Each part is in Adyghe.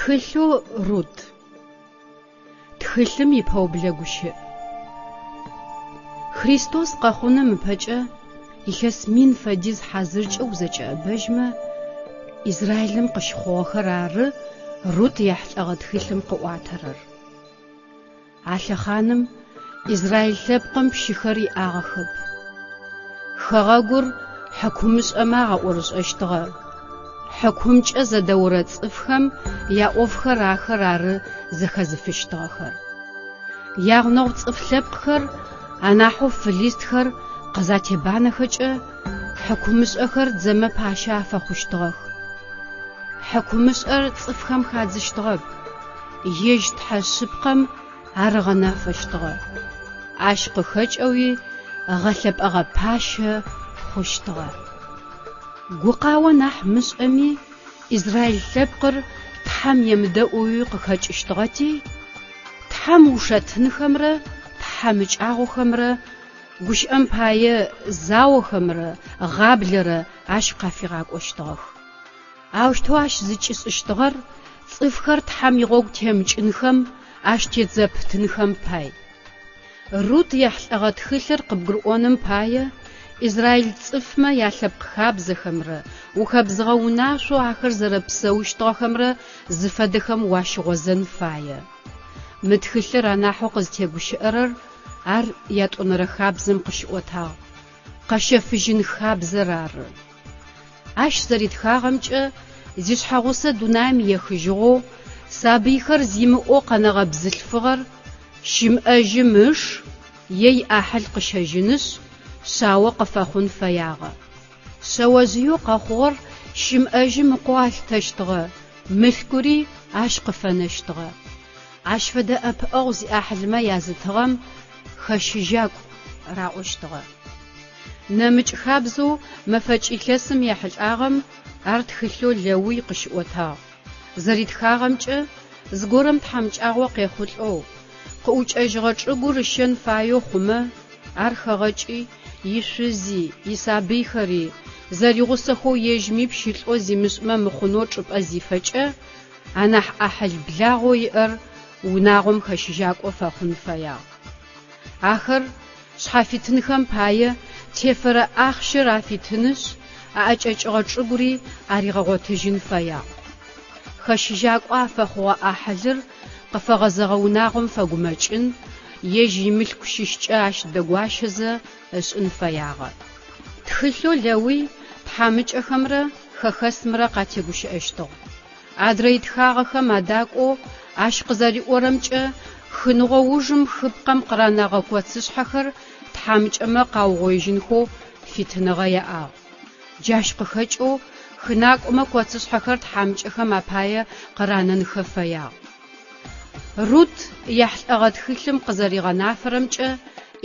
Тхылъэу Рут. Тхылъым ипэублэ гущыӏ. Христос къэхъуным ыпэкӏэ илъэс мин фэдиз хьазыркӏэ узэкӏэӏэбэжьмэ, Израилым къыщыхъугъэхэр ары Рут ехьылӏэгъэ тхылъым къыӏуатэрэр. А лъэхъаным израил лъэпкъым пщыхэр иӏагъэхэп. Хэгъэгур хьыкумышӏэмэ агъэӏорышӏэщтыгъэ. Хьыкумкӏэ зэдэорэ цӏыфхэм яӏофхэр ахэр ары зэхэзыфыщтыгъэхэр. Ягъунэгъу цӏыф лъэпкъхэр, анахьэу фылистхэр къызатебанэхэкӏэ, хьыкумышӏэхэр дзэмэ пащэ афэхъущтыгъэх. Хьыкумышӏэр цӏыфхэм хадзыщтыгъэп, ежь Тхьэ шъыпкъэм ар ыгъэнафэщтыгъэ. Ащ къыхэкӏэуи гъэлъэпӏэгъэ пащэ хъущтыгъэ. Гукъао нахь мышӏэми, израил лъэпкъыр Тхьэм емыдэӏоуи къыхэкӏыщтыгъэти, Тхьэм ушэтынхэмрэ тхьамыкӏагъохэмрэ, гущыӏэм пае, заохэмрэ гъаблэрэ ащ къафигъакӏощтыгъэх. Аущтэу ащ зыкӏишӏыщтыгъэр цӏыфхэр Тхьэм игъогу темыкӏынхэм, ащ тет зэпытынхэм пай. Рут ехьылӏэгъэ тхылъыр къыбгурыӏоным пае израил цӏыфмэ ялъэпкъ хабзэхэмрэ ухэбзыгъэ унашъоу ахэр зэрэпсэущтыгъэхэмрэ зыфэдэхэм уащыгъозэн фае. Мы тхылъыр анахьэу къызтегущыӏэрэр ар ятӏонэрэ хабзэм къыщыӏотагъ, къэщэфыжьын хабзэр ары. Ащ зэритхагъэмкӏэ, зишъхьэгъусэ дунаим ехыжьыгъэу, сабыйхэр зимыӏэу къэнэгъэ бзылъфыгъэр щымыӏэжьым ыш е иӏахьыл къыщэжьынышъ, шъао къыфэхъун фэягъэ. Шъэожъыеу къэхъугъэр щымыӏэжьым ыкъоу алъытэщтыгъэ, мылъкури ащ къыфэнэщтыгъэ. Ащ фэдэ ӏэпыӏэгъу зиӏахьылмэ язытыгъэм хэщыжьакӏу раӏощтыгъэ. Нэмыкӏ хабзэу мэфэкӏ илъэсым ехьылӏагъэм ар тхылъэу Лэуй къыщыӏотагъ. Зэритхагъэмкӏэ, зыгорэм тхьамыкӏагъо къехъулӏэу, къыӏукӏэжьыгъэ чӏыгур ыщэн фаеу хъумэ, ар хэгъэкӏи, ишъузи, исабыйхэри, зэригъусэхэу ежьми пщылӏэу зимышӏмэ мыхъунэу чӏыпӏэ зифэкӏэ, анахь ӏахьыл благъэу иӏэр унагъом хэщыжьакӏо фэхъун фэягъ. Ахэр шъхьафитынхэм пае тефэрэ ахъщэр афитынышъ, аӏэкӏэкӏыгъэ чӏыгури аригъэгъотыжьын фэягъ. Хэщыжьакӏо афэхъугъэ ӏахьылыр къыфэгъэзэгъэ унагъом фэгумэкӏын, ежь имылъку щыщкӏэ ащ дэгуащэзэ ышӏын фэягъэ. Тхылъэу Лэуй тхьамыкӏэхэмрэ хэхэсымрэ къатегущыӏэщтыгъ. Адрэ итхагъэхэм адакӏоу ащ къызэриӏорэмкӏэ, хыныгъо ужым хыпкъэм къыранэгъэ коцышъхьэхэр тхьамыкӏэмэ къаугъоижьынхэу фитыныгъэ яӏагъ. Джащ къыхэкӏэу хынакӏомэ коцышъхьэхэр тхьамыкӏэхэм апае къыранэнхэ фэягъ. Рут ехьылӏэгъэ тхылъым къызэригъэнафэрэмкӏэ,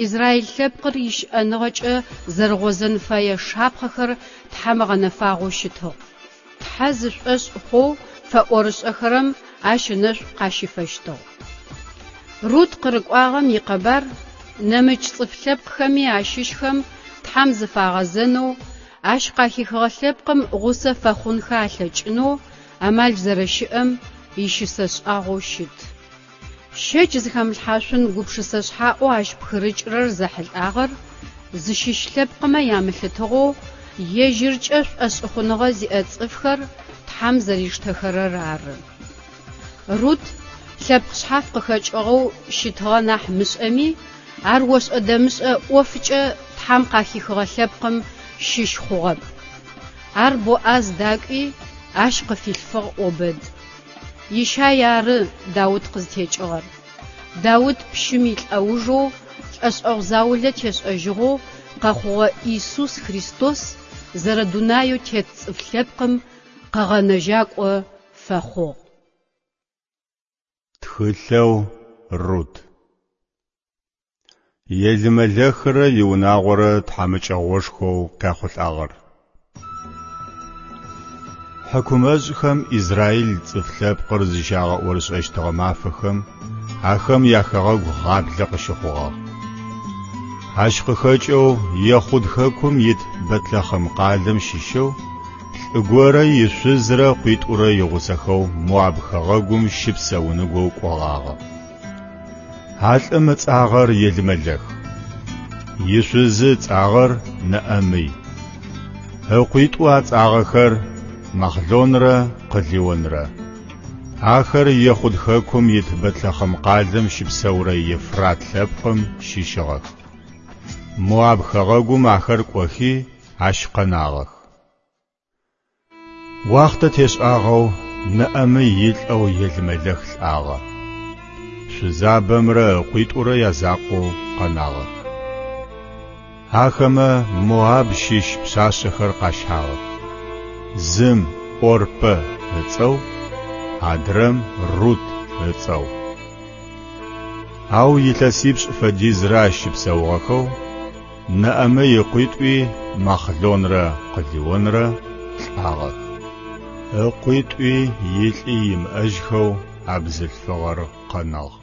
израил лъэпкъыр ищыӏэныгъэкӏэ зэрыгъозэн фэе шапхъэхэр Тхьэм ыгъэнэфагъэу щытыгъ. Тхьэ зышӏошъ хъоу фэӏорышӏэхэрэм ащ ынэшӏу къащифэщтыгъ. Рут къырыкӏуагъэм икъэбар нэмыкӏ цӏыф лъэпкъхэми ащыщхэм Тхьэм зыфагъэзэнэу, ащ къахихыгъэ лъэпкъым гъусэ фэхъунхэ алъэкӏынэу амал зэрэщыӏэм ищысэ шӏагъоу щыт. Щэч зыхэмылъхьашъун гупшысэ шъхьаӏэу ащ пхырыкӏырэр зэхьылӏагъэр, зыщыщ лъэпкъымэ ямылъытыгъэу, ежьыркӏэ шӏошъхъуныгъэ зиӏэ цӏыфхэр Тхьэм зэриштэхэрэр ары. Рут лъэпкъ шъхьаф къыхэкӏыгъэу щытыгъэ нахь мышӏэми, ар ошӏэ-дэмышӏэ ӏофкӏэ Тхьэм къахихыгъэ лъэпкъым щыщ хъугъэп. Ар Боӏаз дакӏуи, ащ къыфилъфыгъ Обэд. Ищай ары Даут къызтекӏыгъэр. Даут пщым илӏэужэу лӏэшӏэгъу заулэ тешӏэжьыгъэу къэхъугъэ Иисус Христос зэрэдунаеу тет цӏыф лъэпкъым Къэгъэнэжьакӏо фэхъугъ. Тхылъэу Рут. Елымэлэхрэ иунагъорэ тхьамыкӏэгъошхоу къяхъулӏагъэр. Хьыкумэшӏхэм израил цӏыф лъэпкъыр зыщагъэӏорышӏэщтыгъэ мафэхэм ахэм яхэгъэгу гъаблэ къыщыхъугъагъ. Ащ къыхэкӏэу Ехъуд хэкум ит Бэтлъэхъем къалэм щыщэу Лӏы горэ ишъузрэ къуитӏурэ игъусэхэу Моаб хэгъэгум щыпсэуныгоу кӏогъагъэ. А лӏым ыцӏагъэр Елымэлэх. Ишъузы ыцӏагъэр Нэӏэмый. Ыкъуитӏу ацӏагъэхэр Махълонрэ Къылионрэ. Ахэр Ехъуд хэкум ит Бэтлъэхъем къалэм щыпсэурэ Ефрат лъэпкъым щыщыгъэх. Моаб хэгъэгум ахэр кӏохи, ащ къэнагъэх. Уахътэ тешӏагъэу Нэӏэмый илӏэу Елымэлэх лӏагъэ. Шъузабэмрэ ыкъуитӏурэ язакъоу къэнагъэх. Ахэмэ Моаб щыщ пшъашъэхэр къащагъэх. Зым ӏорпэ ыцӏэу, адрэм Рут ыцӏэу. Ау илъэсипшӏ фэдизрэ ащ щыпсэугъэхэу, Нэӏэмый ыкъуитӏуи Махълонрэ Къылионрэ лӏагъэх. Ыкъуитӏуи илӏи имыӏэжьхэу а бзылъфыгъэр къэнагъ.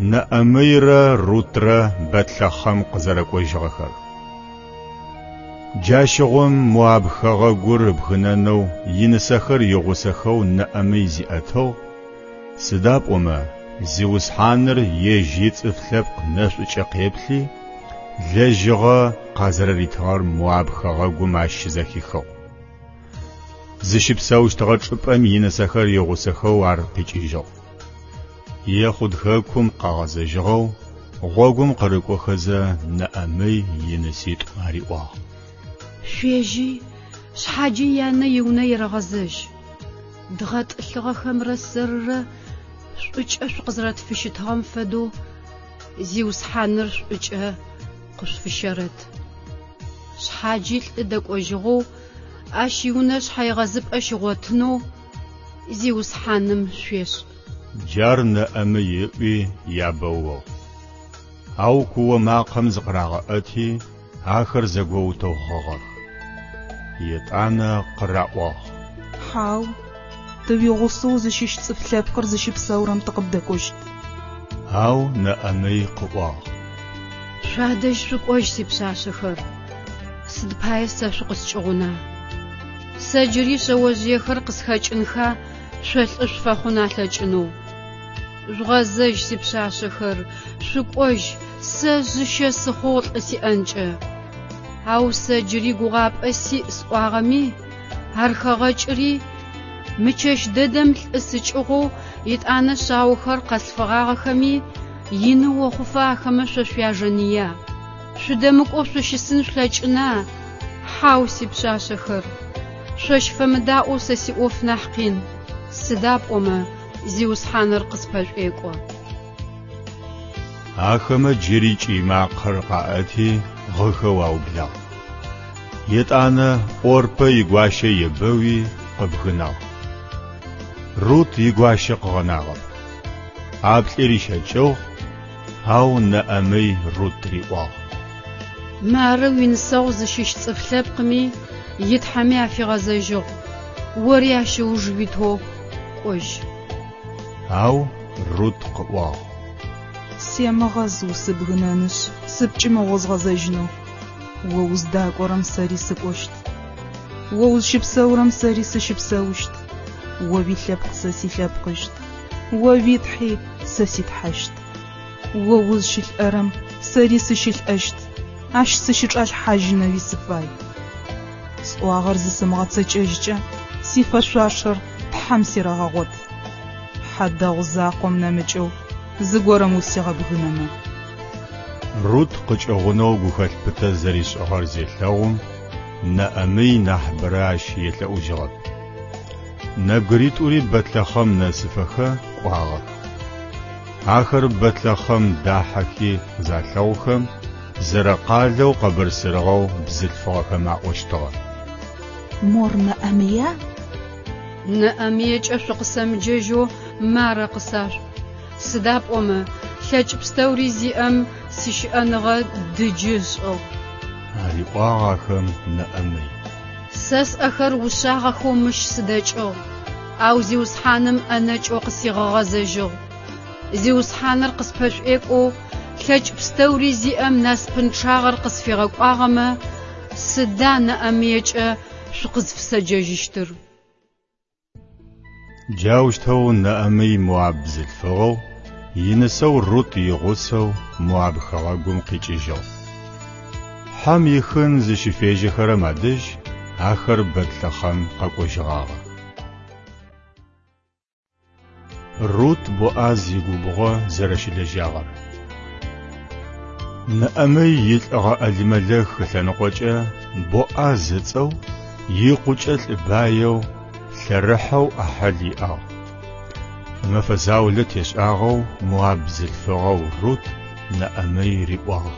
Нэӏэмыйрэ Рутрэ Бэтлъэхъем къызэрэкӏожьыгъэхэр. Джащыгъум Моаб хэгъэгур ыбгынэнэу инысэхэр игъусэхэу Нэӏэмый зиӏэтыгъ, сыда пӏомэ Зиусхьаныр ежь ицӏыф лъэпкъ нэшӏукӏэ къеплъи, лэжьыгъэ къазэрэритыгъэр Моаб хэгъэгум ащ щызэхихыгъ. Зыщыпсэущтыгъэ чӏыпӏэм инысэхэр игъусэхэу ар къикӏыжьыгъ. Ехъуд хэкум къагъэзэжьыгъэу, гъогум къырыкӏохэзэ Нэӏэмый иныситӏу ариӏуагъ. Шъуежьи, шъхьаджи янэ иунэ ерэгъэзэжь. Дгъэтӏылъыгъэхэмрэ сэрырэ шӏукӏэ шъукъызэрэтфыщытыгъэм фэдэу Зиусхьаныр шӏукӏэ къышъуфыщэрэт. Шъхьаджи лӏы дэкӏожьыгъэу ащ иунэ шъхьэегъэзыпӏэ щигъотынэу Зиусхьаным шъуешӏ. Джар Нэӏэмый ыӏуи ябэугъ. Ау куо макъэм зыкъырагъэӏэти, ахэр зэгоутэу гъыгъэх. Етӏанэ къыраӏуагъ. Хьау, тэ уигъусэу узыщыщ цӏыф лъэпкъыр зыщыпсэурэм тыкъыбдэкӏощт. Ау Нэӏэмый къыӏуагъ. Шъуадэжь шъукӏожь, сипшъашъэхэр, сыд пае сэ шъукъыскӏыгъуна? Сэ джыри шъэожъыехэр къысхэкӏынха шъо лӏы шъуфэхъун алъэкӏынэу? Жъугъэзэжь, сипшъашъэхэр, шъукӏожь, сэ жъыщэ сыхъугъ лӏы сиӏэнкӏэ. Ау сэ джыри гугъапӏэ сиӏ сӏуагъэми, ар хэгъэкӏыри, мы чэщ дэдэм лӏы сыкӏыгъоу етӏанэ шъаохэр къэслъфыгъагъэхэми, ины охъуфэ ахэмэ шъо шъуяжэныя? Шъудэмыкӏоу шъущысын шъулъэкӏына? Хьау, сипшъашъэхэр, шъощ фэмыдаӏоу сэ сиӏоф нахь къин, сыда пӏомэ Зиусхьаныр къыспэшӏуекӏо. Ахэмэ джыри кӏый макъэр къаӏэти, гъыхэу аублагъ. Етӏанэ ӏорпэ игуащэ ебэуи къыбгынагъ. Рут игуащэ къыгъэнагъэп. ӏаплӏи рищэкӏыгъ, ау Нэӏэмый Рут риӏуагъ. Мары уинысэгъу зыщыщ цӏыф лъэпкъми итхьэми афигъэзэжьыгъ, ори ащ ыуж уитэу кӏожь. Ау Рут къыӏуагъ. Семыгъэз усыбгынэнышъ, сыпкӏымыгъоу згъэзэжьынэу. О уздакӏорэм сэри сыкӏощт. О узщыпсэурэм сэри сыщыпсэущт. О уилъэпкъ сэ силъэпкъыщт. О уи Тхьи сэ си Тхьэщт. О узщылӏэрэм сэри сыщылӏэщт, ащ сыщычӏалъхьажьынэуи сыфай. Сӏуагъэр зысымыгъэцэкӏэжькӏэ, сифэшъуашэр Тхьэм серэгъэгъот. Хьадэгъу закъом нэмыкӏэу зыгорэм усигъэбгынэмэ. Рут къыкӏыгъунэу гухэлъ пытэ зэришӏыгъэр зелъэгъум, Нэӏэмый нахьыбэрэ ащ елъэӏужьыгъэп. Нэбгыритӏури Бэтлъэхъем нэсыфэхэ кӏуагъэх. Ахэр Бэтлъэхъем дахьэхи къызалъэгъухэм, зэрэкъалэу къэбырсырыгъэу бзылъфыгъэхэм аӏощтыгъэ. Мор Нэӏэмыя? Нэӏэмыекӏэ шъукъысэмыджэжьэу Марэ къысашъуӏу. Сыда пӏомэ, лъэкӏ пстэури зиӏэм сищыӏэныгъэ дыджы ышӏыгъ. Ариӏуагъ ахэм Нэӏэмый. Сэ сӏэхэр ушъагъэхэу мыщ сыдэкӏыгъ, ау Зиусхьаным ӏэнэкӏэу къысигъэгъэзэжьыгъ. Зиусхьаныр къыспэшӏуекӏоу, лъэкӏ пстэури зиӏэм насыпынчъагъэр къысфигъэкӏуагъэмэ, Сыда Нэӏэмыекӏэ шъукъызфысэджэжьыщтыр? Джаущтэу Нэӏэмый моаб бзылъфыгъэу, инысэу Рут игъусэу Моаб хэгъэгум къикӏыжьыгъ. Хьэм ихын зыщыфежьэхэрэм адэжь ахэр Бэтлъэхъем къэкӏожьыгъагъэх. Рут Боӏаз игубгъо зэрэщылэжьагъэр. Нэӏэмый илӏыгъэ ӏэлимэлэх ылъэныкъокӏэ Боӏаз ыцӏэу, икъукӏэ лӏы баеу, лъэрыхьэу ӏахьыл иӏагъ. Мэфэ заулэ тешӏагъэу моаб бзылъфыгъэу Рут Нэӏэмый риӏуагъ.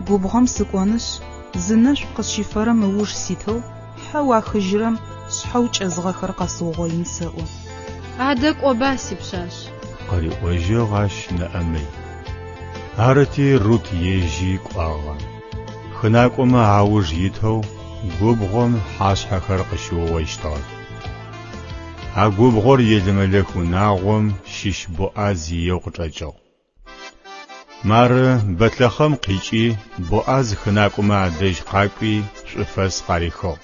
Губгъом сыкӏонышъ, зынэшӏу къысщифэрэм ыуж ситэу, хьэу ахыжьырэм шъхьэу кӏэзыгъэхэр къэсыугъоин сэӏо. Адэ кӏоба, сипшъашъ. Къыриӏожьыгъ ащ Нэӏэмый. Арыти Рут ежьи кӏуагъэ. Хынакӏомэ ауж итэу губгъом хьашъхьэхэр къыщиугъоищтыгъэх. А губгъор Елымэлэх унагъом щыщ Боӏаз иеу къычӏэкӏыгъ. Мары, Бэтлъэхъем къикӏи, Боӏаз хынакӏомэ адэжь къакӏуи, шӏуфэс къарихыгъ.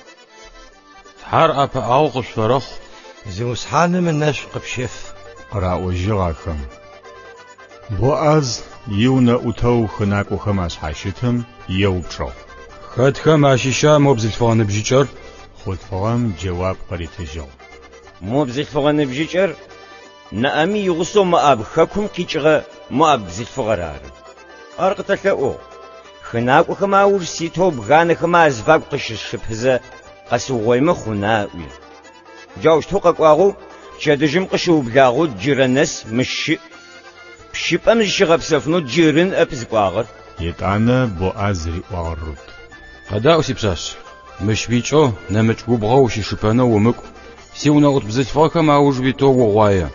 Тхьэр ӏэпыӏэгъу къышъуфэрэхъу. Зиусхьаным ынэшӏу къыпщеф. Къыраӏожьыгъ ахэм. Боӏаз иунэӏутэу хынакӏохэм ашъхьащытым еупчӏыгъ. Хэтхэм ащыща мо бзылъфыгъэ ныбжьыкӏэр? Хъулъфыгъэм джэуап къыритыжьыгъ. Мо бзылъфыгъэ ныбжьыкӏэр Нэӏэмый игъусэу Моаб хэкум къикӏыгъэ моаб бзылъфыгъэр ары. Ар къытэлъэӏугъ. Хынакӏохэм ауж ситэу бганэхэмэ азыфагу къыщысшыпызэ къэсыугъоимэ хъуна ыӏуи. Джаущтэу къэкӏуагъэу пчэдыжьым къыщыублагъэу джырэ нэс мыщ щыӏ. Пщыпӏэм зыщигъэпсэфынэу джыры ныӏэп зыкӏуагъэр. Етӏанэ Боӏаз риӏуагъ Рут. Къэдаӏу, сипшъашъ, мыщ уикӏэу нэмыкӏ губгъо ущышыпэнэу умыкӏу. Сиунэӏут бзылъфыгъэхэм ауж уитэу угъуае.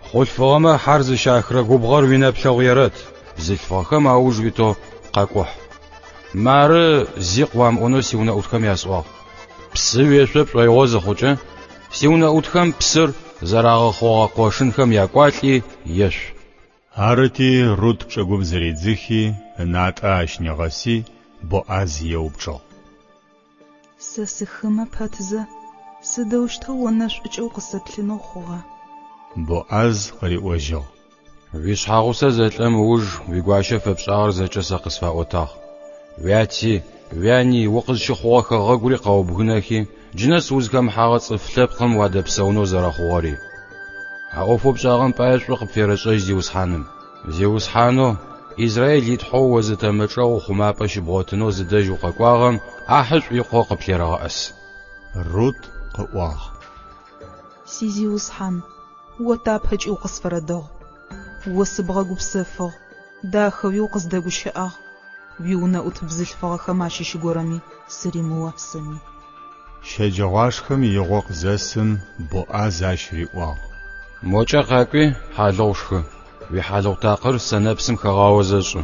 Хъулъфыгъэмэ хьэр зыщахырэ губгъор уинэплъэгъу ерэт, бзылъфыгъэхэм ауж уитэу къэкӏухь. Мары зи къыуамыӏонэу сиунэӏутхэм ясӏуагъ. Псы уешъо пшӏоигъо зыхъукӏэ, сиунэӏутхэм псыр зэрагъэхъогъэ къошынхэм якӏуалӏи ешъу. Арыти, Рут чӏыгум зыридзыхи, ынатӏэ ащ нигъэси, Боӏаз еупчӏыгъ. Сэ сыхымэ пэтзэ, сыдэущтэу о нэшӏукӏэ укъысэплъынэу хъугъа? Боӏаз къыриӏожьыгъ. Уишъхьагъусэ зэлӏэм ыуж уигуащэ фэпшӏагъэр зэкӏэ сэ къысфаӏотагъ. Уяти, уяни, укъызщыхъугъэ хэгъэгури къэубгынэхи, джынэс узхэмыхьагъэ цӏыф лъэпкъым уадэпсэунэу зэрэхъугъэри. А ӏофэу пшӏагъэм пае шӏу къыпферэшӏэжь Зиусхьаным. Зиусхьанэу, Израил и Тхьэу о зытэмэ чӏэгъ ухъумапӏэ щыбгъотынэу зыдэжь укъэкӏуагъэм ӏахьышӏу икъоу къыплъерэгъэӏэс. Рут къыӏуагъ. Сизиусхьан, о тапэкӏи укъысфэрэдэгъу. О сыбгъэгупсэфыгъ, дахэуи укъыздэгущыӏагъ, уиунэӏут бзылъфыгъэхэм ащыщ горэми сыримыуасэми. Щэджэгъуашхэм игъо къызэсым, Боӏаз ащ риӏуагъ. Мокӏэ къакӏуи, хьалыгъу шхы. Уихьалыгъу такъыр сэнэпсым хэгъаозэ шӏы.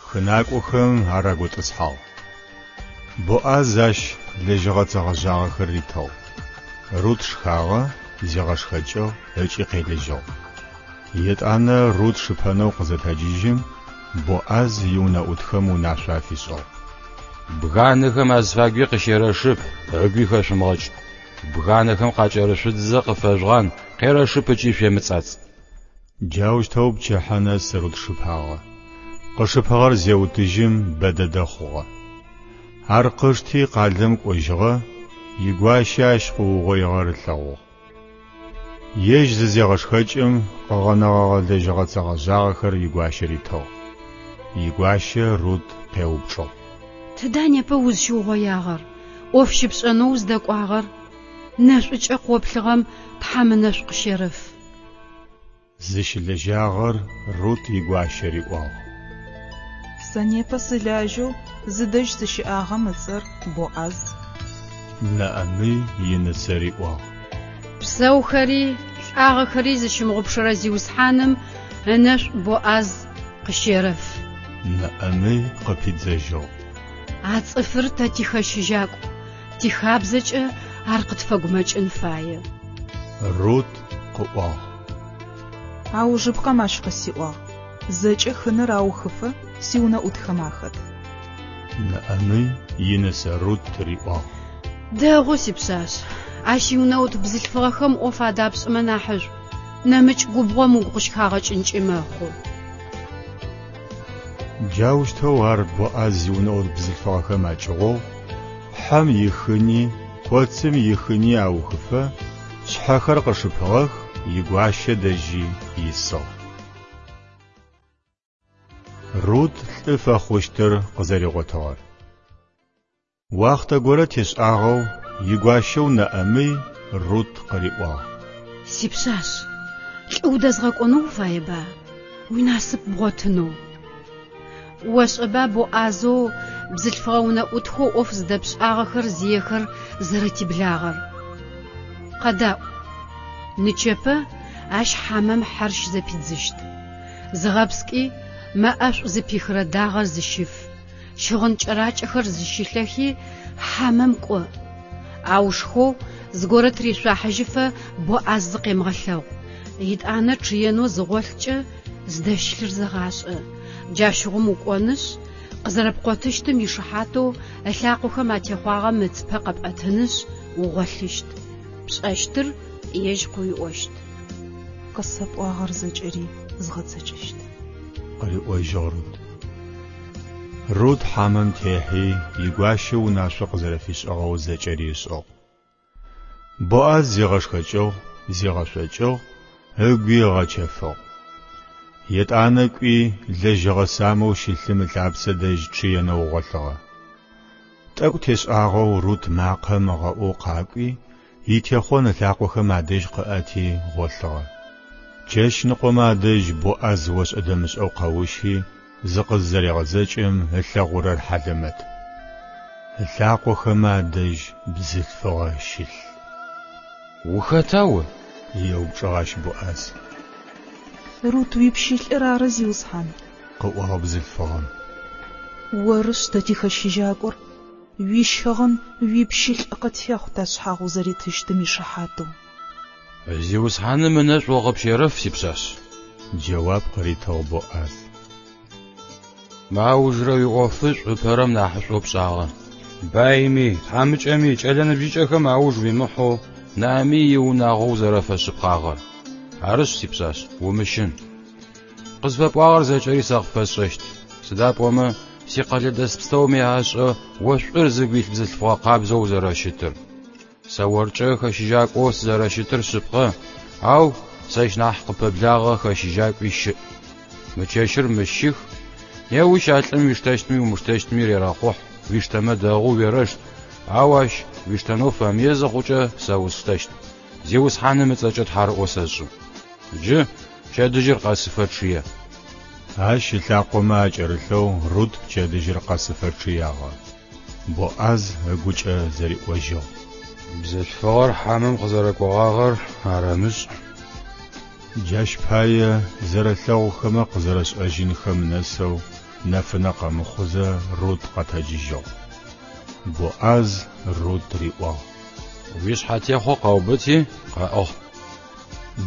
Хынакӏохэм ар аготӏысхьагъ. Боӏаз ащ лэжьыгъэцэ гъэжъагъэхэр ритыгъ. Рут шхагъэ, зигъэшхэкӏыгъ ыкӏи къелыжьыгъ. Етӏанэ Рут шыпэнэу къызэтэджыжьым, Боӏаз иунэӏутхэм унашъо афишӏыгъ. Бганэхэм азыфагуи къыщерэшып, ыгуи хэшъумыгъэкӏ. Бганэхэм къакӏэрышъудзызэ къыфэжъугъан, къерэшып ыкӏи шъуемыцӏацӏ. Джаущтэу пчыхьэ нэс Рут шыпагъэ. Къышыпыгъэр зеутыжьым бэ дэдэ хъугъэ. Ар къышти къалэм кӏожьыгъэ, игуащи ащ къыугъоигъэр ылъэгъугъ. Ежь зызегъэшхэкӏым, къыгъэнэгъэгъэ лэжьыгъэцэ гъэжъагъэхэр игуащэ ритыгъ. Игуащэ Рут къеупчӏыгъ. Тыда непэ узщыугъоягъэр, ӏоф щыпшӏэнэу уздэкӏуагъэр? Нэшӏукӏэ къоплъыгъэм Тхьэм ынэшӏу къыщерэф. Зыщылэжьагъэр Рут игуащэ риӏуагъ. Сэ непэ сылажьэу зыдэжь сыщыӏагъэм ыцӏэр Боӏаз. Нэӏэмый инысэ риӏуагъ. Псэухэри лӏагъэхэри зыщымыгъупшэрэ Зиусхьаным ынэшӏу Боӏаз къыщерэф. Нэӏэмый къыпидзэжьыгъ. А цӏыфыр тэ тихэщыжьакӏу, тихабзэкӏэ ар къытфэгумэкӏын фае. Рут къыӏуагъ. Аужыпкъэм ащ къысиӏуагъ, Зэкӏэ хыныр аухыфэ сиунэӏутхэм ахэт. Нэӏэмый инысэ Рут риӏуагъ. Дэгъу, сипшъашъ. Ащ иунэӏут бзылъфыгъэхэм ӏоф адапшӏэмэ нахьышӏу, нэмыкӏ губгъом угу къыщыхагъэкӏынкӏи мэхъу. Джаущтэу ар Боӏаз иунэӏут бзылъфыгъэхэм акӏыгъугъ, хьэм ихыни, коцым ихыни аухыфэ, шъхьэхэр къышыпыгъэх, игуащэ дэжьи исыгъ. Рут лӏы фэхъущтыр къызэригъотыгъэр. Уахътэ горэ тешӏагъэу игуащэу Нэӏэмый Рут къыриӏуагъ. Сипшъашъ, лӏы удэзгъэкӏонэу уфаеба, уинасып бгъотынэу? Ошӏэба Боӏазэу бзылъфыгъэ унэӏутхэу ӏоф зыдэпшӏагъэхэр зиехэр зэрэтиблагъэр? Къэдаӏу, нычэпэ ащ хьамэм хьэр щызэпидзыщт. Зыгъэпскӏи, мэ ӏэшӏу зыпихырэ дагъэр зыщыф, щыгъын кӏэракӏэхэр зыщылъэхи, хьамэм кӏо. Ау шхоу зыгорэ тыришъуахьыжьыфэ Боӏаз зыкъемыгъэлъэгъу. Етӏанэ чъыенэу зыгъолъкӏэ зыдэщылъыр зэгъашӏэ. Джащыгъум укӏонышъ, къызэрэпкъотыщтым ишыхьатэу ылъакъохэм атехъуагъэм ыцыпэ къэпӏэтынышъ, угъолъыщт. Пшӏэщтыр ежь къыуиӏощт. Къысэпӏуагъэр зэкӏэри згъэцэкӏэщт. Къыриӏожьыгъ Рут. Рут хьамэм техьи, игуащэ унашъо къызэрэфишӏыгъэу зэкӏэри ышӏыгъ. Боӏаз зигъэшхэкӏыгъ, зигъэшъокӏыгъ, ыгуи ыгъэчэфыгъ. Етӏанэ кӏуи, лэжьыгъэ самэу щылъым ылъапсэ дэжь чъыенэу гъолъыгъэ. Тӏэкӏу тешӏагъэу Рут макъэ ымыгъэӏоу къакӏуи, итехъон ылъакъохэм адэжь къыӏэти гъолъыгъэ. Чэщныкъомэ адэжь Боӏаз ошӏэ-дэмышӏэу къэущи, зыкъыззэрегъэзэкӏым ылъэгъурэр хьалэмэт. Ылъакъохэмэ адэжь бзылъфыгъэ щылъ. Ухэта о? Еупчӏыгъ ащ Боӏаз. Рут уипщылӏыр ары, зиусхьан. Къыӏуагъ бзылъфыгъэм. Орышъ тэ тихэщыжьакӏор, уищыгъын уипщылӏ къытехъу ташъхьагъ узэритыщтым ишыхьатэу. Зиусхьаным ынэшӏу о къыпщерэф, сипшъашъ. Джэуап къыритыгъ Боӏаз. Мы аужырэ уиӏофышӏу ыпэрэм нахьышӏоу пшӏагъэ. Байми, тхьамыкӏэми, кӏэлэ ныбжьыкӏэхэм ауж уимыхьэу Нэӏэмый иунагъо узэрэфэшъыпкъагъэр. Арышъ, сипшъашъ, умыщын. Къызфэпӏуагъэр зэкӏэри сэ къыпфэсшӏэщт. Сыда пӏомэ, сикъэлэдэс пстэуми ашӏэ о шӏур зыгу илъ бзылъфыгъэ къабзэу узэрэщытыр. Сэ оркӏэ хэщыжьакӏоу сызэрэщытыр шъыпкъэ, ау сэщ нахь къыпэблагъэ хэщыжьакӏуи щыӏ. Мы чэщыр мыщ щых, неущ а лӏым уиштэщтми умыштэщтми рерэхъухь, уиштэмэ дэгъу, уерэшт, ау ащ уиштэнэу фэмые зыхъукӏэ сэ усштэщт. Зиусхьаным ыцӏэкӏэ тхьарыӏо сэшӏы. Джы пчэдыжьыр къэсыфэ чъые. Ащ ылъакъомэ акӏэрылъэу Рут пчэдыжьыр къэсыфэ чъыягъэ. Боӏаз ыгукӏэ зэриӏожьыгъ. Бзылъфыгъэр хьамэм къызэрэкӏогъагъэр арэмышӏ. Джащ пае зэрэлъэгъухэмэ къызэрэшӏэжьынхэм нэсэу нэфынэ къэмыхъузэ Рут къэтэджыжьыгъ. Боӏаз Рут риӏуагъ. Уишъхьэтехъо къэубыти, къэӏыгъ.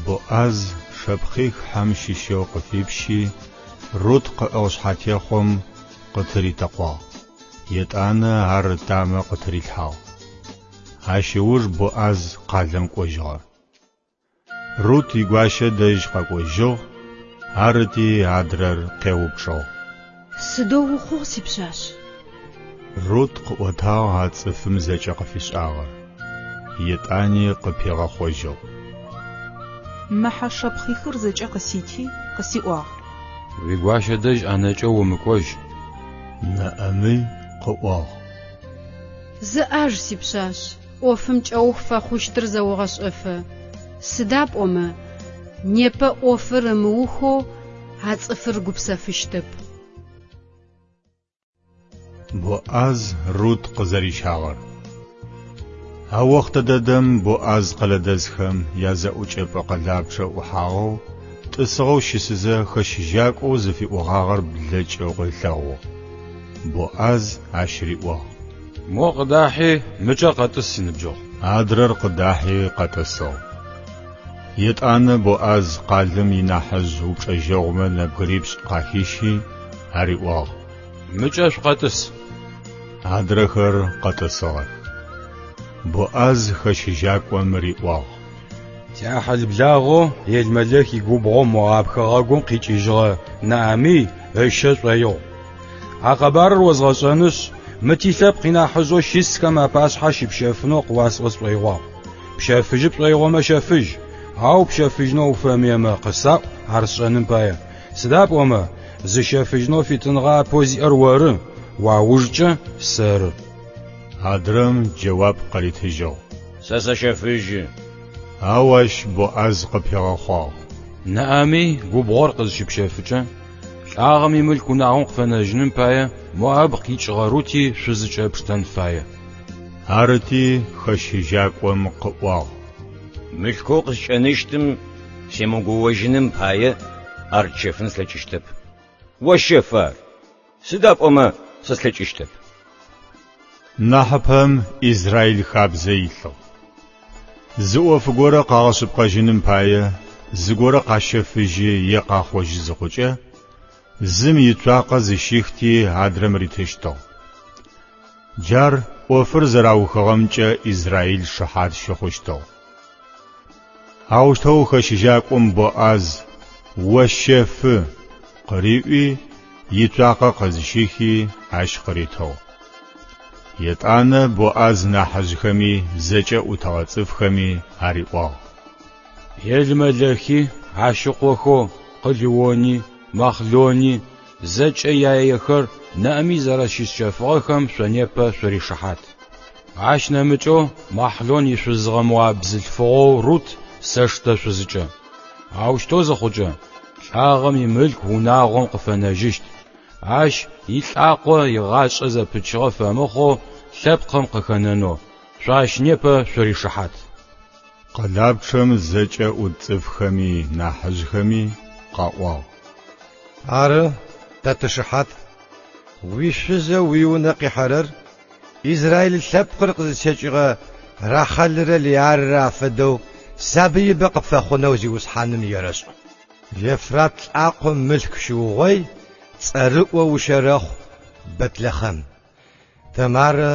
Боӏаз шэпхъих хьэм щыщэу къыфипщи, Рут къыӏыгъ шъхьэтехъом къытыритэкъуагъ. Етӏанэ ар ытамэ къытырилъхьагъ. Ащ ыуж Боӏаз къалэм кӏожьыгъэ. Рут игуащэ дэжь къэкӏожьыгъ, арыти адрэр къеупчӏыгъ. Сыдэу ухъугъ, сипшъашъ? Рут къыӏотагъ а цӏыфым зэкӏэ къыфишӏагъэр. Етӏани къыпигъэхъожьыгъ. Мы хьэ шэпхъихыр зэкӏэ къысити, къысиӏуагъ. Уигуащэ дэжь ӏэнэкӏэу умыкӏожь. Нэӏэмый къыӏуагъ. Зыӏаж, сипшъашъ, ӏофым кӏэух фэхъущтыр зэогъэшӏэфэ. Сыда пӏомэ, непэ ӏофыр ымыухэу а цӏыфыр гупсэфыщтэп. Боӏаз Рут къызэрищагъэр. А охътэ дэдэм Боӏаз къэлэдэсхэм язэӏукӏэпӏэ къэлапчъэ ӏухьагъэу, тӏысыгъэу щысызэ хэщыжьакӏоу зыфиӏогъагъэр блэкӏэу ылъэгъугъ. Боӏаз ащ риӏуагъ. Мо къыдахьи, мыкӏэ къэтӏыс, синыбджэгъу. Адрэр къыдахьи къэтӏысыгъ. Етӏанэ Боӏаз къалэм инахьыжъ упчӏэжьэгъумэ нэбгырипшӏ къахищи, ариӏуагъ. Мыкӏэ шъукъэтӏыс. Адрэхэр къэтӏысыгъэх. Боӏаз хэщыжьакӏом риӏуагъ. Тиӏахьыл-благъэу Елмэлэх игубгъо Моаб хэгъэгум къикӏыжьыгъэ Нэӏэмый ыщэ шӏоигъу. А къэбарыр озгъэшӏэнышъ, мы тилъэпкъ инахьыжъэу щысхэм апашъхьэ щыпщэфынэу къыуасӏо сшӏоигъуагъ. Пщэфыжьы пшӏоигъомэ щэфыжь, ау пщэфыжьынэу уфэмыемэ къысаӏу ар сшӏэным пае. Сыда пӏомэ, зыщэфыжьынэу фитыныгъэ апэу зиӏэр оры, уаужкӏэ сэры. Адрэм джэуап къыритыжьыгъ. Сэ сэщэфыжьы. Ау ащ Боӏаз къыпигъэхъуагъ. Нэӏэмый губгъор къызщыпщэфыкӏэ, лӏагъэм имылъку унагъом къыфэнэжьыным пае Моаб къикӏыгъэ Рути шъузыкӏэ пштэн фае. Арыти, хэщыжьакӏом къыӏуагъ. Мылъкоу къыскӏэныщтым семыгоожьыным пае ар тщэфын слъэкӏыщтэп. О щэф ар, сыда пӏомэ сэ слъэкӏыщтэп. Нахьыпэм Израиль хабзэ илъыгъ. Зы ӏоф горэ къагъэшъыпкъэжьыным пае зыгорэ къащэфыжьы е къахъожьы зыхъукӏэ, зым ицуакъэ зыщихти адрэм ритыщтыгъ. Джар ӏофыр зэраухыгъэмкӏэ Израиль шыхьат щыхъущтыгъ. Аущтэу хэщыжьакӏом Боӏаз О щэфы! къыриӏуи, ицуакъэ къызщихи ащ къыритыгъ. Етӏанэ Боӏаз нахьыжъхэми зэкӏэ ӏутыгъэ цӏыфхэми ариӏуагъ. Елмэлэхи, ащ ыкъохэу Къылыони, Махълони, зэкӏэ яехэр Нэӏэмый зэрэщысщэфыгъэхэм шъо непэ шъуришыхьат. Ащ нэмыкӏэу Махълон ишъузыгъэ моаб бзылъфыгъэу Рут сэштэ шъузыкӏэ. Аущтэу зыхъукӏэ, лӏагъэм имылъку унагъом къыфэнэжьыщт. Ащ илӏакъо игъашӏэ зэпычыгъэ фэмыхъоу лъэпкъым къыхэнэнэу, шъо ащ непэ шъуришыхьат. Къэлапчъэм зэкӏэ ӏут цӏыфхэми нахьыжъхэми къаӏуагъ. Ары, тэ тышыхьат. Уишъузэу уиунэ къихьэрэр Израил лъэпкъыр къызытекӏыгъэ Рахъэлрэ Лыарэ афэдэу сабыибэ къыпфэхъунэу Зиусхьаным ерэшӏ. Ефрат лӏакъом мылъку щыугъой, цӏэрыӏо ущэрэхъу Бэтлэхъэм. Тэмарэ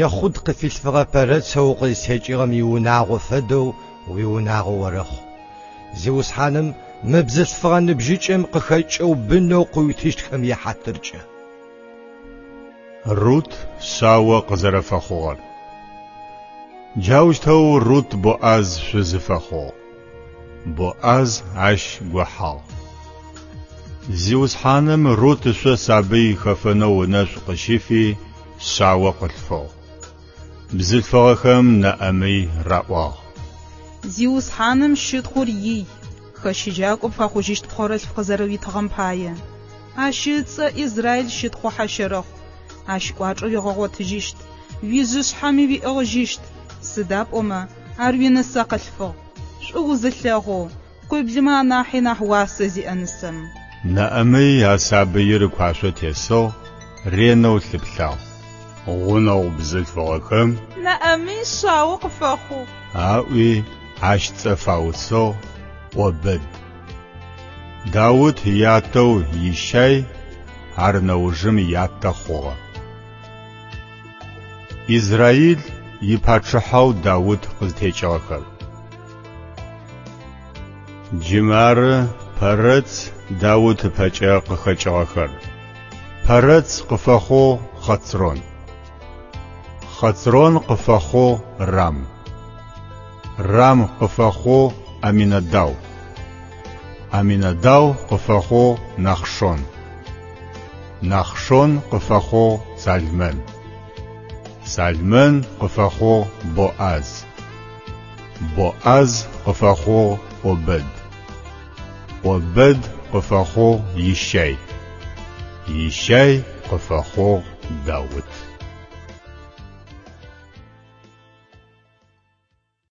Ехъуд къыфилъфыгъэ Пэрэцэу укъызтекӏыгъэм иунагъо фэдэу уиунагъо орэхъу. Зиусхьаным мы бзылъфыгъэ ныбжьыкӏэм къыхэкӏэу бынэу къыуитыщтхэм яхьатыркӏэ. Рут шъао къызэрэфэхъугъэр. Джаущтэу Рут Боӏаз шъузы фэхъугъ. Боӏаз ащ гохьагъ. Зиусхьаным Рут ышъо сабый хэфэнэу ынэшӏу къыщифи, шъао къылъфыгъ. Бзылъфыгъэхэм Нэӏэмый раӏуагъ. Зиусхьаным щытхъур ий, хэщыжьакӏо пфэхъужьыщт пхъорэлъф къызэрэуитыгъэм пае. Ащ ыцӏэ Израил щытхъухьэ щэрэхъу. Ащ кӏуачӏэ уигъэгъотыжьыщт, уижъышъхьэми уиӏыгъыжьыщт, сыда пӏомэ ар уинысэ къылъфыгъ, шӏу узылъэгъоу, къуиблымэ анахьи нахь уасэ зиӏэ нысэм. Нэӏэмый а сабыир ыкуашъо тесыгъ, ренэу лъыплъагъ. Гъунэгъу бзылъфыгъэхэм. Нэӏэмый шъао къыфэхъугъ. Аӏуи, ащ цӏэ фаусыгъ, ӏобэд. Даут ятэу Ищай ар нэужым ятэ хъугъэ. Израил ипачъыхьэу Даут къызтекӏыгъэхэр. Джы мары Пэрэц Даут ыпэкӏэ къыхэкӏыгъэхэр. Пэрэц къыфэхъугъ Хъэцрон. Хъэцрон къыфэхъугъ Рам. Рам къыфэхъугъ Аминадав. Аминадав къыфэхъугъ Нахшон. Нахшон къыфэхъугъ Салмэн. Салмэн къыфэхъугъ Боӏаз. Боӏаз къыфэхъугъ Обэд. Обэд къыфэхъугъ Ищай. Ищай къыфэхъугъ Даут.